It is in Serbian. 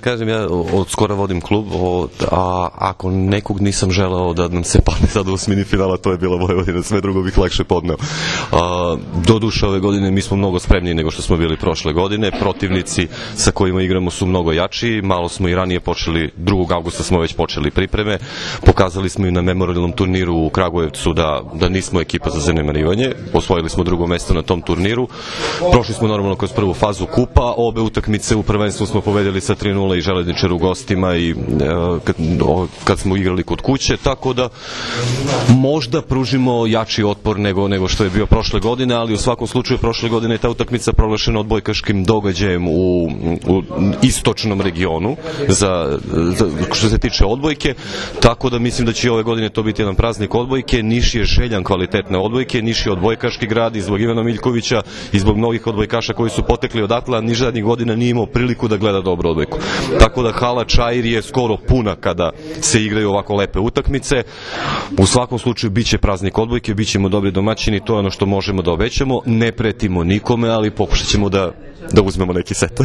Kažem, ja od skora vodim klub, a ako nekog nisam želeo da nam se padne sada u osmini finala, to je bila Vojvodina, sve drugo bih lakše podneo. Doduše ove godine mi smo mnogo spremniji nego što smo bili prošle godine, protivnici sa kojima igramo su mnogo jači, malo smo i ranije počeli, 2. avgusta smo već počeli pripreme, pokazali smo i na memorialnom turniru u Kragujevcu da nismo ekipa za zanemarivanje, osvojili smo 2. mesto na tom turniru, prošli smo normalno kroz prvu fazu kupa, obe utakmice u prvenstvu smo pobedili sa 3:0 i Železničar u gostima i kad smo igrali kod kuće, tako da možda pružimo jači otpor nego što je bio prošle godine, ali u svakom slučaju prošle godine je ta utakmica proglašena odbojkaškim događajem u istočnom regionu što se tiče odbojke, tako da mislim da će i ove godine to biti jedan praznik odbojke. Niš je željan kvalitetne odbojke, Niš je odbojkaški grad i zbog Ivana Miljkovića i zbog mnogih odbojkaša koji su potekli odatle, a Niš zadnjih godina nije imao priliku da gleda dobro odbojku. Tako da hala Čair je skoro puna kada se igraju ovako lepe utakmice. U svakom slučaju biće praznik odbojke, bit ćemo dobri domaćini, to je ono što možemo da obećamo. Ne pretimo nikome, ali pokušat ćemo da uzmemo neki set.